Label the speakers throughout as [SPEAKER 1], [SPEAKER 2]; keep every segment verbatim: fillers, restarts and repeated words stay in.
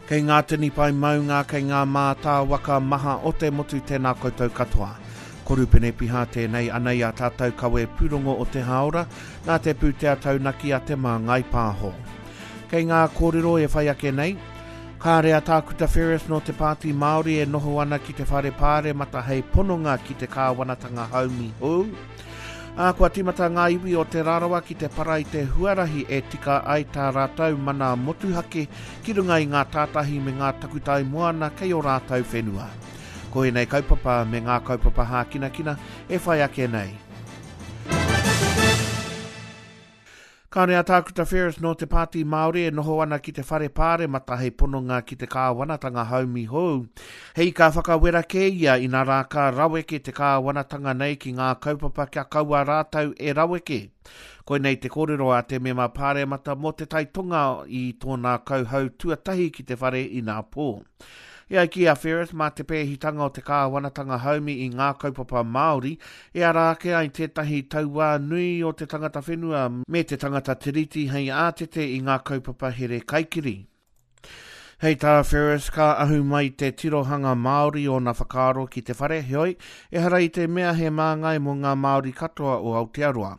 [SPEAKER 1] Kei ngā tini pae maunga, kei ngā mātāwaka maha o te motu tēnā koutou katoa. Ko Rupene Piha tēnei anei a tātou kawe pūrongo o te hāora, nā te pūtea taunaki a Te Māngai Pāho. Kei ngā kōrero e whai ake nei, kāre a Tākuta Ferris nō te Pāti Māori e noho ana ki te whare pāremata hei pononga ki te kāwanatanga haumi hou. Ā, kua tīmata ngā iwi o Te Rarawa ki te para i te huarahi e tika ai tā rātou mana motuhake ki runga i ngā tātahi me ngā takutai moana kei ō rātou whenua. Ko ēnei kaupapa me ngā kaupapa hākinakina e whai ake nei. Kāre a Tākuta Ferris nō te Pāti Māori e noho ana ki te whare pāremata hei pononga ki te kāwanatanga haumi hou. Hei ka whakawera kē ia inā rā ka raweke te kāwanatanga nei ki ngā kaupapa kia kaua rātou e raweke. Koinei te kōrero a te mema pāremata mō Te Tai Tonga i tōna kauhau tuatahi ki te whare inā pō. E ai ki a Ferris, mā te pēhitanga o te kāwanatanga haumi i ngā kaupapa Māori, e ara ake ai tētahi tauā nui o te tangata whenua me te tangata tiriti hei ātete i ngā kaupapa here kaikiri. Hei tā Ferris, ka ahu mai te tirohanga Māori ōna whakaaro ki te whare, heoi, ehara i te mea he māngai mō ngā Māori katoa o Aotearoa.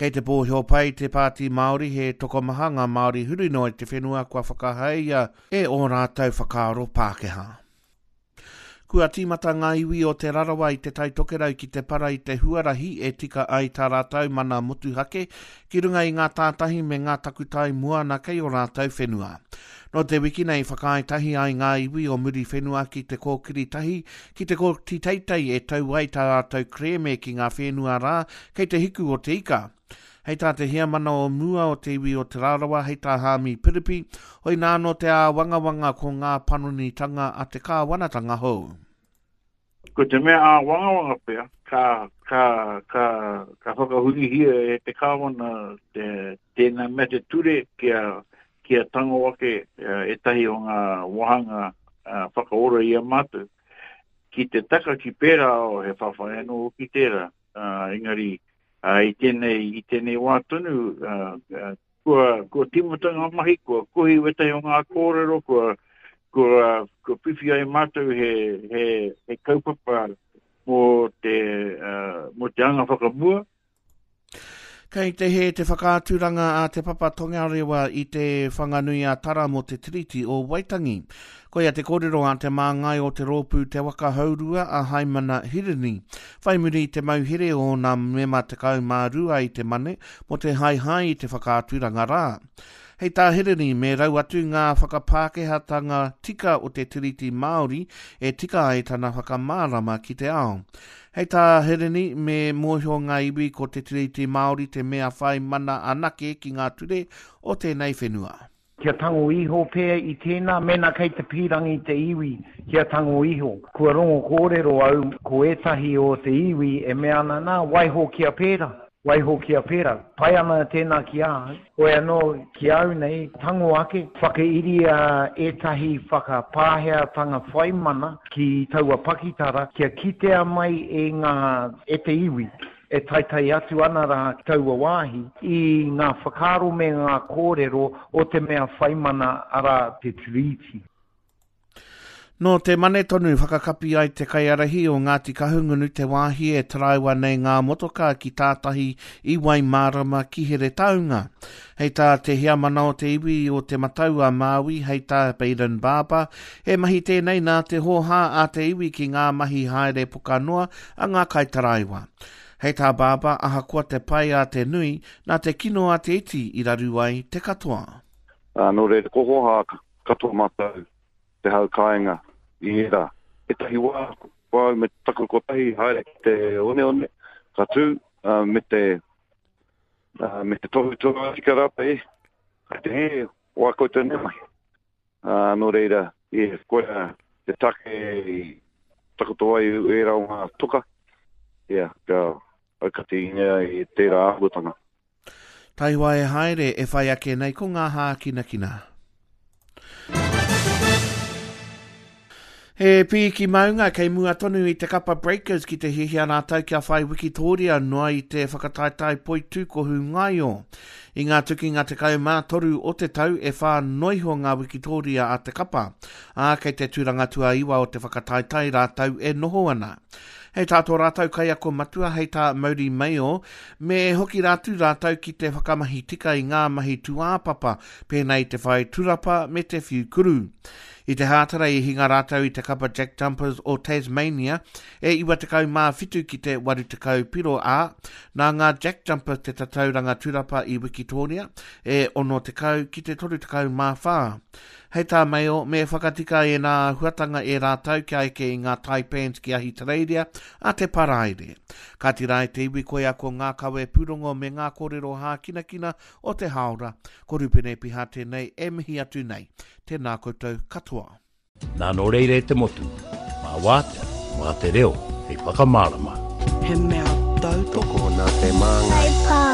[SPEAKER 1] Kei te pōhio pai te Pāti Māori he tokomaha ngā Māori huri noa i te whenua kua whakahaia e ō rātou whakaaro Pākehā. Kua tīmata ngā iwi o Te Rarawa i Te Tai Tokerau ki te para i te huarahi e tika ai tā rātou mana motuhake ki runga i ngā tātahi me ngā takutai moana kei ō rātou whenua. Nō te wiki nei whakaae tahi ai ngā iwi o Muriwhenua ki te kōkiri tahi ki te kōti teitei e tau ai tā rātou kerēme ki ngā whenua rā kei te hiku o te ika. Hei tā te heamana o mua o te iwi o Te Rarawa, hei tā Haami Piripi, hoinā anō te āwangawanga ko ngā panonitanga a te kāwanatanga hou.
[SPEAKER 2] Ko te mea āwangawanga pea, ka, ka, ka, ka whakahurihia e te kāwana te, tēnā mea te ture kia, kia tango ake ētahi o ngā wāhanga whakaora i a mātou. Ki te taka ki pērā, oh, he whawhai anō hoki tērā, engari i tēnei, i tēnei wā tonu, kua, kua tīmata ngā mahi, kua kohi wētahi o ngā kōrero, kua, kua, kua whiwhi ai mātou he, he, he kaupapa mō te, uh, mō te anga whakamua.
[SPEAKER 1] Kei te hē te whakaaturanga a Te Papa Tongarewa i te Whanganui-a-Tara mō te Tiriti o Waitangi. Koia te kōrero a te māngai o te rōpū Te Waka Hourua a Haimana Hirini. Whai muri i te mauhere o ōna mema tekau mā rua i te Mane mō te haehae i te whakaaturanga rā. Hei tā Hirini, me rau atu ngā whakapākehātanga tika o te Tiriti Māori e tika ai tana whakamārama ki te ao. Hei tā Hirini, me mōhio ngā iwi ko te Tiriti Māori te mea whai mana anake ki ngā ture o tēnei whenua.
[SPEAKER 3] Kia tango iho pea i tēnā, mēnā kei te pīrangi te iwi kia tango iho. Kua rongo kōrero au ko ētahi o te iwi e mea ana, nā, waiho kia pērā. Waiho kia pērā. Pai ana tēnā ki a au. Hoi anō, ki a au nei, tango ake, whakairia ētahi whakapāheatanga whai mana ki taua pakitara kia kitea mai e ngā, e te iwi e taetae atu ana rā ki taua wāhi, i ngā whakaaro me ngā kōrero o te mea whai mana, arā, te Tiriti.
[SPEAKER 1] Nō te Mane tonu whakakapi ai te kaiārahi o Ngāti Kahungunu te wāhi e taraiwa nei ngā motokā ki tātahi i Waimārama ki Heretaunga. Hei tā te heamana o te iwi o Te Matau a Māui, hei tā Bayden Barber, he mahi tēnei nā te hōhā a te iwi ki ngā mahi haere pokanoa a ngā kaitaraiwa. Hei tā Barber, ahakoa te pai a te nui, nā te kino a te iti i raru ai te katoa.
[SPEAKER 4] Ā, nō reira, ko hōhā katoa mātou te hau kāinga i ērā. Ētahi wā, ko au me taku kotahi haere ki te oneone, ka tū, uh, me te, uh, me te tohu tohu tika rātou, e, kai te hē, wā koutou nei mahi. Uh, nō reira, e, koia te take i takoto ai ērā o ngā toka, ia, ka aukatingia i tērā āhuatanga.
[SPEAKER 1] Taihoa e haere e whai ake nei ko ngā hākinakina. He piki maunga kei mua tonu i te kapa Breakers ki te hiahia rātou kia whai wikitōria noa i te whakataetae poitūkohu ngaio. I ngā tukinga tekau mā toru o te tau e whā noa iho ngā wikitōria a te kapa, ā, kei te tūranga tuaiwa o te whakataetae rātou e noho ana. Hei tā tō rātou kaiako matua, hei tā Mauri Mayo, me hoki rātou rātou ki te whakamahi tika i ngā mahi tūāpapa, pēnei i te whai turapa me te whiu kuru. I te Hātara i hinga rātou i te kapa Jack Jumpers o Tasmania e iwa tekau mā whitu ki te waru tekau piro, ā, nā ngā Jack Jumpers te tatauranga turapa i Wikitōria e ono tekau ki te toru tekau mā whā. Hei tā Mayo, me whakatika ēnā āhuatanga e rātou kia eke i ngā Taipans ki Ahitereiria a te Paraire. Kāti rā e te iwi koia ko ngā kawe pūrongo me ngā kōrero hākinakina o te hāora. Ko Rupene Piha tēnei e mihi atu nei. Tēnā koutou katoa.
[SPEAKER 5] Nā nō reira e te motu, mā wātea, mā te reo, hei whakamārama.
[SPEAKER 6] He mea tautoko.
[SPEAKER 7] Tokona te māngai.
[SPEAKER 8] Hei pā.